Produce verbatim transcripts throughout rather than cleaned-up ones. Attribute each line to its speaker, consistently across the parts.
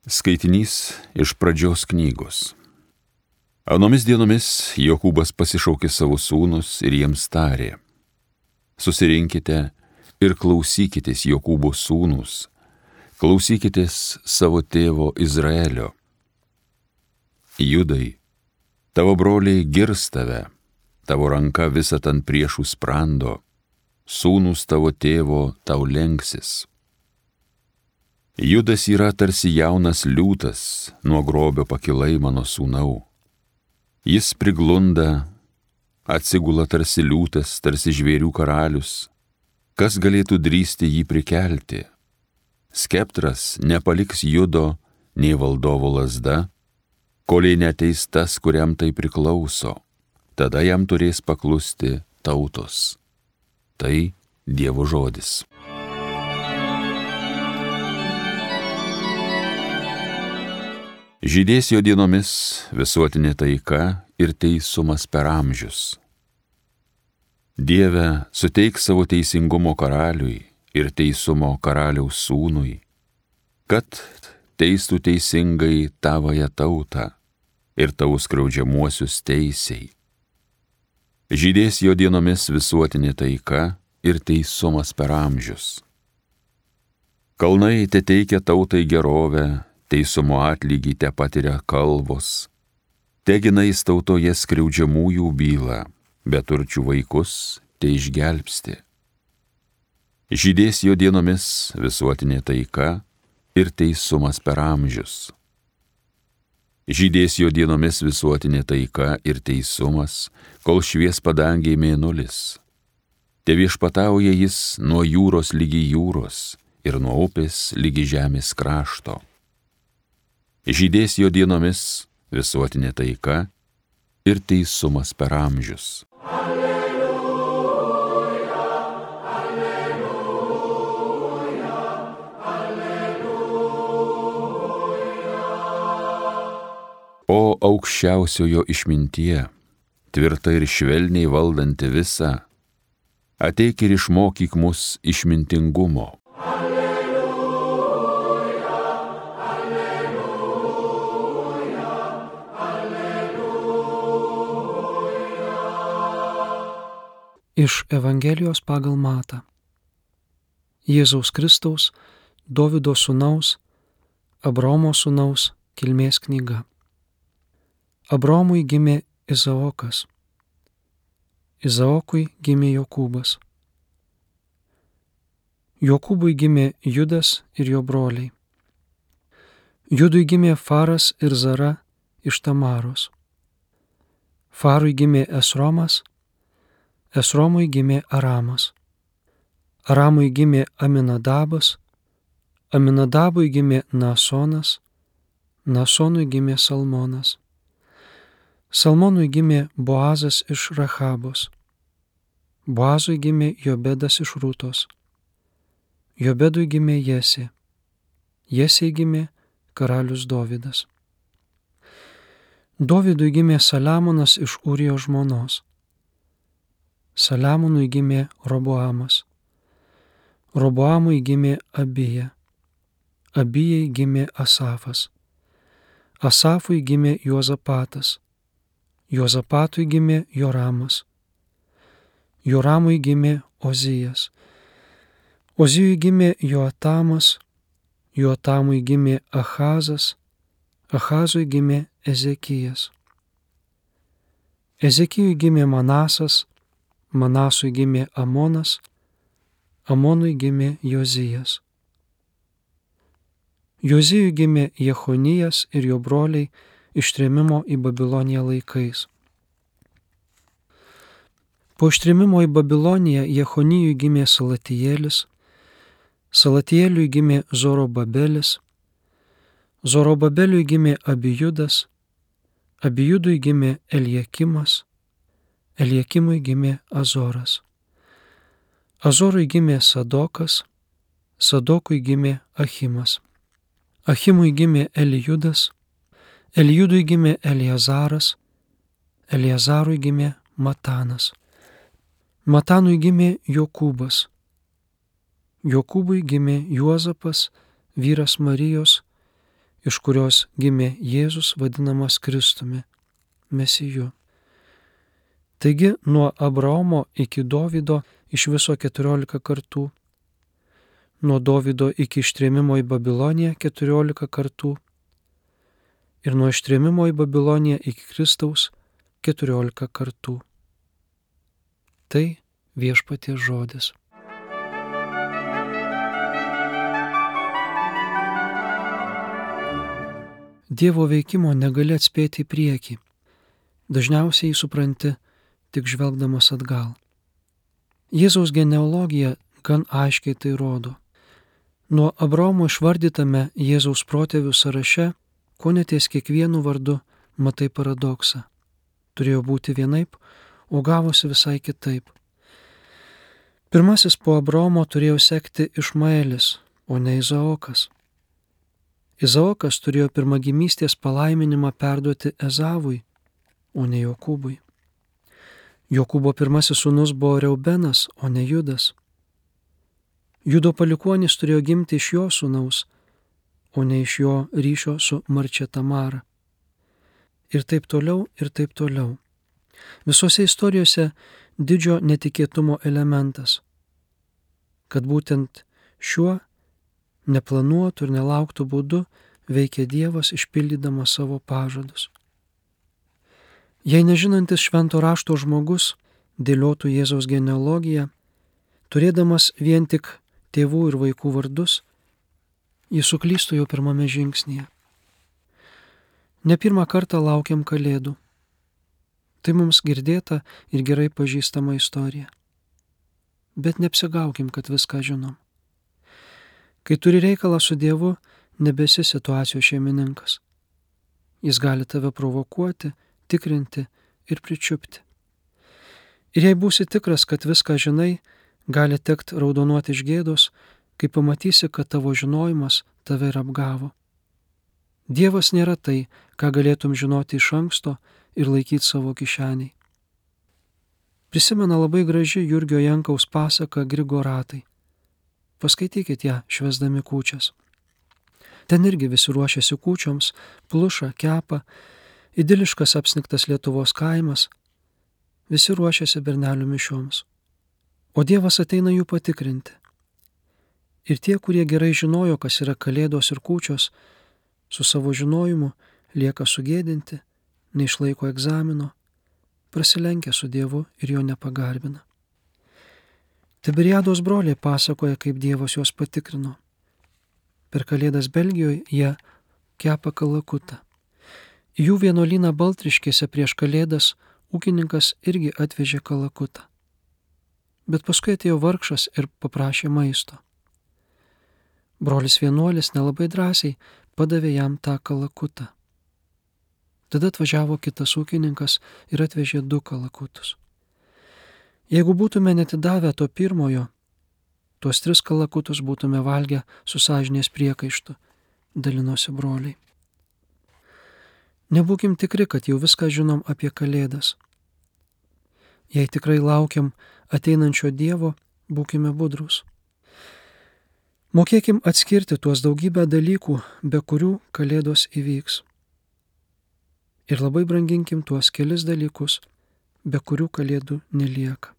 Speaker 1: Skaitinys iš Pradžios knygos. Anomis dienomis Jokūbas pasišaukė savo sūnus ir jiems tarė: Susirinkite ir klausykitės, Jokūbo sūnus, klausykitės savo tėvo Izraelio. Judai, tavo broliai girs tave, tavo ranka visat ant priešų sprando, sūnus tavo tėvo tau lenksis. Judas yra tarsi jaunas liūtas, nuo grobio pakilai mano sūnau. Jis priglunda, atsigula tarsi liūtas, tarsi žvėrių karalius. Kas galėtų drįsti jį prikelti? Skeptras nepaliks Judo, nei valdovo lazda, koliai neteis tas, kuriam tai priklauso. Tada jam turės paklusti tautos. Tai Dievo žodis. Žydės jo dienomis visuotinė taika ir teisumas per amžius. Dieve, suteik savo teisingumo karaliui ir teisumo karaliaus sūnui, kad teistų teisingai tavąją tautą ir tavo skriaudžiamuosius teisiai. Žydės jo dienomis visuotinė taika ir teisumas per amžius. Kalnai te teikia tautai gerovę, teisumo atlygį te patiria kalvos, teginais tautoje skriaudžiamųjų bylą, beturčių vaikus te išgelbsti. Žydės jo dienomis visuotinė taika ir teisumas per amžius. Žydės jo dienomis visuotinė taika ir teisumas, kol švies padangiai mėnulis. Te viešpatauja jis nuo jūros lygi jūros ir nuo upės lygi žemės krašto. Žydės jo dienomis visuotinė taika ir teisumas per amžius. Alleluja, alleluja, alleluja. O aukščiausiojo išmintie, tvirta ir švelniai valdanti visą, ateik ir išmokyk mus išmintingumo.
Speaker 2: Iš Evangelijos pagal Matą. Jėzaus Kristaus, Dovydo sūnaus, Abraomo sūnaus kilmės knyga. Abraomui gimė Izaokas. Izaokui gimė Jokūbas. Jokūbui gimė Judas ir jo broliai. Judui gimė Faras ir Zara iš Tamaros. Farui gimė Esromas, Esromui gimė Aramas. Aramui gimė Aminadabas, Aminadabui gimė Nasonas, Nasonui gimė Salmonas. Salmonui gimė Boazas iš Rachabos. Boazui gimė Jobedas iš Rūtos. Jobedui gimė Jesė. Jesei gimė karalius Dovydas. Dovydui gimė Saliamonas iš Ūrijos žmonos. Saliamonui gimė Roboamas. Roboamui gimė Abija. Abijai gimė Asafas. Asafui gimė Juozapatas. Juozapatui gimė Joramas. Joramui gimė Ozijas. Ozijui gimė Joatamas. Joatamui gimė Achazas. Achazui gimė Ezekijas. Ezekijui gimė Manasas. Manasui gimė Amonas, Amonui gimė Jozijas. Jozijui gimė Jechonijas ir jo broliai ištrėmimo į Babiloniją laikais. Po ištrėmimo į Babiloniją Jechonijui gimė Salatijėlis, Salatijėliui gimė Zorobabelis, Zorobabeliui gimė Abijudas, Abijudui gimė Eliakimas, Eliakimui gimė Azoras. Azorui gimė Sadokas, Sadokui gimė Achimas. Achimui gimė Elijudas, Elijudui gimė Eliazaras, Eliazarui gimė Matanas. Matanui gimė Jokūbas. Jokūbui gimė Juozapas, vyras Marijos, iš kurios gimė Jėzus vadinamas Kristumi, Mesiju. Taigi nuo Abraomo iki Dovydo iš viso keturiolika kartų, nuo Dovydo iki ištrėmimo į Babiloniją keturiolika kartų ir nuo ištrėmimo į Babiloniją iki Kristaus keturiolika kartų. Tai Viešpaties žodis. Dievo veikimo negali atspėti į priekį. Dažniausiai jį supranti tik žvelgdamas atgal. Jėzaus genealogija gan aiškiai tai rodo. Nuo Abraomo išvardytame Jėzaus protėvių sąraše, kone ties kiekvienu vardu matai paradoksą. Turėjo būti vienaip, o gavosi visai kitaip. Pirmasis po Abraomo turėjo sekti Išmaelis, o ne Izaokas. Izaokas turėjo pirmagimystės palaiminimą perduoti Ezavui, o ne Jokūbui. Jokūbo pirmasis sūnus buvo Reubenas, o ne Judas. Judo palikuonis turėjo gimti iš jo sūnaus, o ne iš jo ryšio su Marčia Tamara. Ir taip toliau, ir taip toliau. Visose istorijose didžio netikėtumo elementas, kad būtent šiuo neplanuotų ir nelauktų būdu veikia Dievas išpildydamas savo pažadus. Jei nežinantis švento rašto žmogus dėliotų Jėzaus genealogiją, turėdamas vien tik tėvų ir vaikų vardus, jis suklystų jau pirmame žingsnyje. Ne pirmą kartą laukiam Kalėdų. Tai mums girdėta ir gerai pažįstama istorija. Bet neapsigaukim, kad viską žinom. Kai turi reikalą su Dievu, nebesi situacijos šeimininkas. Jis gali tave provokuoti, tikrinti ir pričiupti. Ir jei būsi tikras, kad viską žinai, gali tekt raudonuoti iš gėdos, kai pamatysi, kad tavo žinojimas tave ir apgavo. Dievas nėra tai, ką galėtum žinoti iš anksto ir laikyti savo kišeniai. Prisimena labai graži Jurgio Jankaus pasaka Grigoratai. Paskaitykit ją švęsdami kūčias. Ten irgi visi ruošiasi kūčioms, pluša, kepa, idiliškas apsnigtas Lietuvos kaimas, visi ruošiasi bernelių mišioms. O Dievas ateina jų patikrinti. Ir tie, kurie gerai žinojo, kas yra Kalėdos ir kūčios, su savo žinojimu lieka sugėdinti, neišlaiko egzamino, prasilenkia su Dievu ir jo nepagarbina. Tiberiados broliai pasakoja, kaip Dievas juos patikrino. Per Kalėdas Belgijoje jie kepa kalakutą. Į jų vienuolyną Baltriškėse prieš Kalėdas ūkininkas irgi atvežė kalakutą. Bet paskui atėjo vargšas ir paprašė maisto. Brolis vienuolis nelabai drąsiai padavė jam tą kalakutą. Tada atvažiavo kitas ūkininkas ir atvežė du kalakutus. Jeigu būtume netidavę to pirmojo, tuos tris kalakutus būtume valgę su sąžinės priekaištu, dalinosi broliai. Nebūkim tikri, kad jau viską žinom apie Kalėdas. Jei tikrai laukiam ateinančio Dievo, būkime budrūs. Mokėkim atskirti tuos daugybę dalykų, be kurių Kalėdos įvyks. Ir labai branginkim tuos kelis dalykus, be kurių Kalėdų nelieka.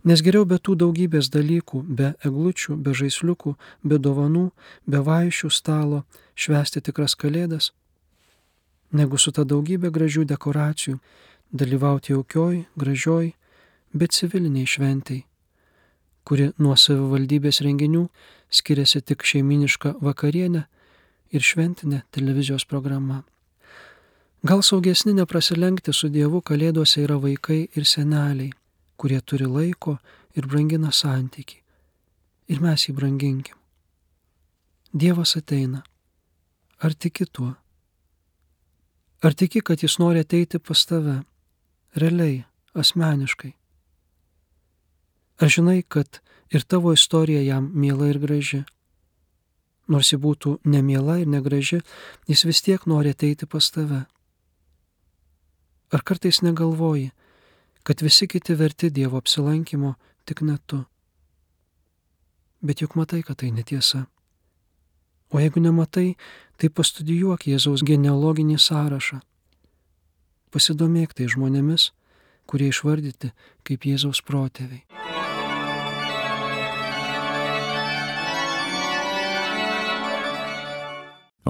Speaker 2: Nes geriau be tų daugybės dalykų, be eglučių, be žaisliukų, be dovanų, be vaišių stalo švęsti tikras Kalėdas, negu su ta daugybė gražių dekoracijų dalyvauti jaukioj, gražioj, bet civiliniai šventei, kuri nuo savivaldybės renginių skiriasi tik šeiminiška vakarienė ir šventinė televizijos programa. Gal saugesni neprasilenkti su Dievu Kalėdose yra vaikai ir seneliai, kurie turi laiko ir brangina santykį. Ir mes jį branginkim. Dievas ateina. Ar tiki tuo? Ar tiki, kad jis nori ateiti pas tave, realiai, asmeniškai? Ar žinai, kad ir tavo istorija jam miela ir graži? Nors ji būtų nemiela ir negraži, jis vis tiek nori ateiti pas tave. Ar kartais negalvoji, kad visi kiti verti Dievo apsilankimo, tik ne tu? Bet juk matai, kad tai netiesa. O jeigu nematai, tai pastudijuok Jėzaus genealoginį sąrašą. Pasidomėk tai žmonėmis, kurie išvardyti kaip Jėzaus protėviai.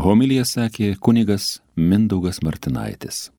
Speaker 1: Homiliją sakė kunigas Mindaugas Martinaitis.